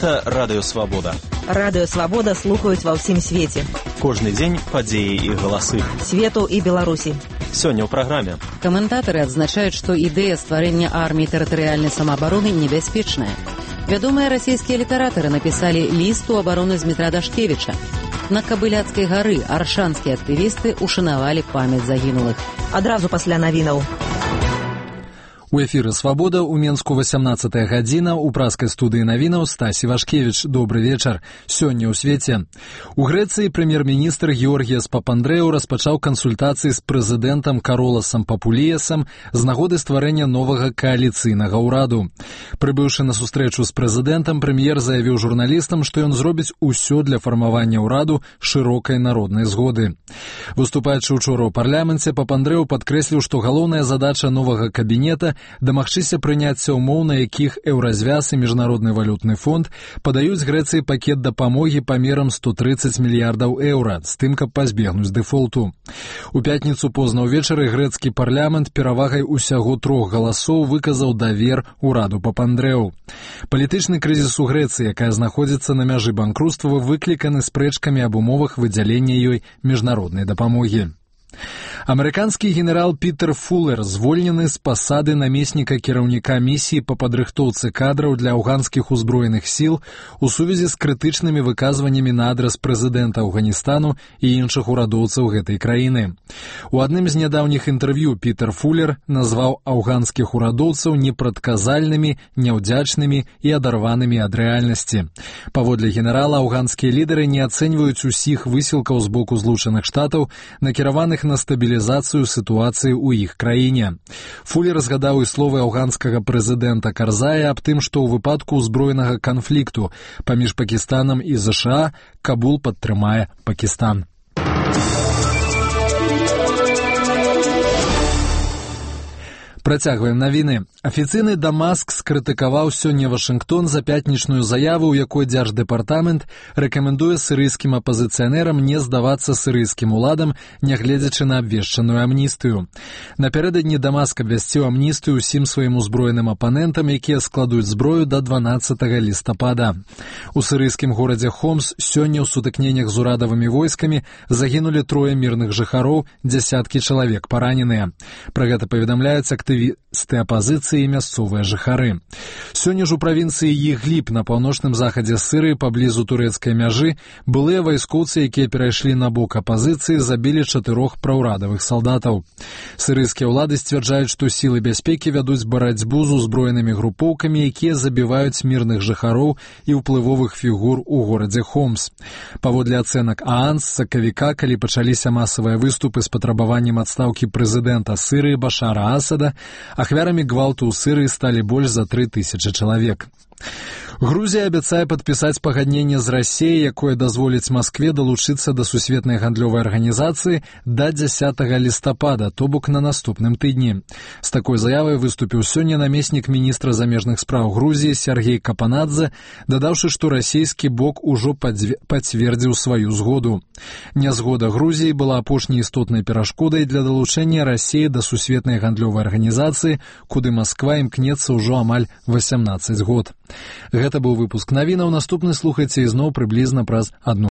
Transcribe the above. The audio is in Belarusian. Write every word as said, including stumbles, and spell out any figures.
Гэта Радыё Свабода. Радыё Свабода слухаюць ва ўсім свеце. Кожны дзень падзеі і галасы. Свету і Беларусі. Сёння ў праграме. Каментатары адзначаюць, што ідэя стварэння арміі тэрытарыяльнай самаабароны небяспечная. Вядомыя расійскія літаратары напісалі ліст у абароны Змітра Дашкевіча. На Кабыляцкай гары аршанскія актывісты ушанавалі памяць загінулых. Адразу пасля навінаў. У эфіры «Свабода» у Менску васямнаццатая гадзіна, у праскай студыі навінаў Стасі Вашкевіч. Добры вечар. Сёння ў свеце. У Грэцыі прэм'ер-міністр Георгіяс Папандрэу распачаў кансультацыі з прэзідэнтам Кароласам Папуліясам з нагоды стварэння новага кааліцыйнага ўраду. Прыбыўшы на сустрэчу з прэзідэнтам, прэм'ер заявіў журналістам, што ён зробіць усё для фармавання ўраду шырокай народнай згоды. Выступаючы учора ў парламенце, Папандрэу падкрэсліў, што галоўная задача новага кабінета дамагчыся прыняцця ўмоў, на якіх Еўразвяз і Міжнародны валютны фонд падаюць Грэцыі пакет дапамогі памерам сто трыццаць мільярдаў еўра, з тым, каб пазбегнуць дэфолту. У пятніцу позна ўвечары грэцкі парламент перавагай усяго трох галасоў выказаў давер ураду Папандрэу. Палітычны крызіс у Грэцыі, якая знаходзіцца на мяжы банкруцтва, выкліканы спрэчкамі аб умовах выдзялення ёй міжнароднай дапамогі. Амерыканскі генерал Пітер Фуллер звольнены з пасады намесніка кіраўніка місіі па падрыхтоўцы кадраў для афганскіх узброеных сіл у сувязі з крытычнымі выказваннямі на адрас прэзідэнта Афганістану і іншых урадоўцаў гэтай краіны. У адным з нядаўніх інтэрв'ю Пітер Фуллер назваў афганскіх урадоўцаў непрадказальнымі, няўдзячнымі і адарванымі ад рэальнасці. Паводле генерала, афганскія лідары не ацэньваюць усіх высілкаў з боку Злучаных Штатаў, накіраваных на стабілізацыю сітуацыі ў іх краіне. Фуллер згадаў і словы афганскага прэзідэнта Карзая аб тым, што ў выпадку ўзброенага канфлікту паміж Пакістанам і ЗША Кабул падтрымае Пакістан. Працягваем навіны. Афіцыйны Дамаск скрытыкаваў сёння Вашынгтон за пятнічную заяву, у якой дзярждэпартамент рэкамендуе сірыйскім апазіцыянерам не здавацца сірыйскім уладам, нягледзячы на абвешчаную амністыю. Напярэдадні Дамаск абвясціў амністыю ўсім сваім узброеным апанентам, якія складуць зброю да дванаццатага лістапада. У сірыйскім горадзе Хомс сёння ў сутыкненнях з урадавымі войскамі загінулі трое мірных жыхароў, дзясяткі чалавек параненыя. Пра гэта паведамляюць актывісты актывісты апазіцыі і мясцовыя жыхары. Сёння ж у правінцыі Ідліб на паўночным захадзе Сірыі паблізу турэцкай мяжы былыя вайскоўцы, якія перайшлі на бок апазіцыі, забілі чатырох праўрадавых салдатаў. Сірыйскія ўлады сцвярджаюць, што сілы бяспекі вядуць барацьбу з узброенымі групоўкамі, якія забіваюць мірных жыхароў і ўплывовых фігур у горадзе Хомс. Паводле ацэнак ААН, з сакавіка, калі пачаліся масавыя выступы з патрабаваннем адстаўкі прэзідэнта Сірыі Башара Асада, ахвярамі гвалту ў Сірыі сталі больш за тры тысячы чалавек. Грузія абяцае падпісаць пагадненне з Расіяй, якое дазволіць Маскве далучыцца да сусветнай гандлёвай арганізацыі да дзясятага лістапада, то бок на наступным тыдні. З такой заявай выступіў сёння намеснік міністра замежных спраў Грузіі Сергей Капанадзе, дадаўшы, што расійскі бок ужо пацвердзіў сваю згоду. Нязгода Грузіі была апошняй істотнай перашкодай для далучэння Расіі да сусветнай гандлёвай арганізацыі, куды Масква імкнецца ўжо амаль васямнаццаць год. Гэта быў выпуск навінаў. Наступны слухайце ізноў прыблізна праз адну